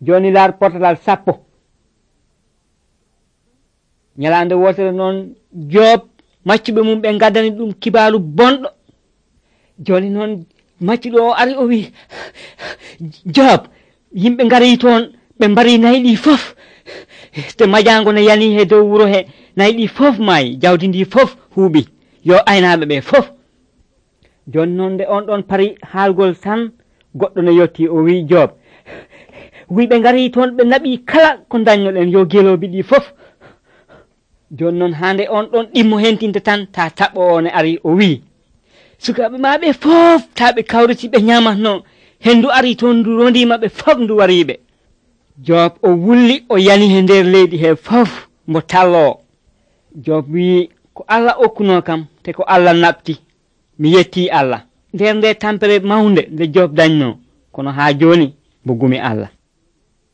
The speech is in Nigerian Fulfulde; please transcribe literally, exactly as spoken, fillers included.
joni laar portalal sappo. Nyalande wotere noon Job maccuɓe mum ɓe gaddani ɗum kibaru bonɗo. Joni noon maccuɗo o ari o wi Job yimɓe gari toon ɓe mbari nayi ɗi fof te majango ne yani he dow wuro he nayi ɗi fof maayi jawdi ndi fof huuɓi yo aynaɓe ɓe fof. Joni noon nde on ɗon pari haalgol tan goɗɗo ne yetti o wi Job wi ɓe gari toon ɓe naɓi kala ko dañnoɗen yo geloɓi ɗi fof. Joni noon hande on ɗon ɗimmo hentinte tan ta taɓɓo o ne ari o wi sukaɓe maɓe fof taɓe kawriti ɓe ñamatno hendu ari toon ndu rondima ɓe fof ndu wariɓe. Job o wulli o yani he nder leydi he fof mo tallo. Job wi ko Allah okkuno kam te ko Allah naɓti mi yetti Allah nder nde tampere mawnde nde Job dañno kono ha joni mo gumi Allah.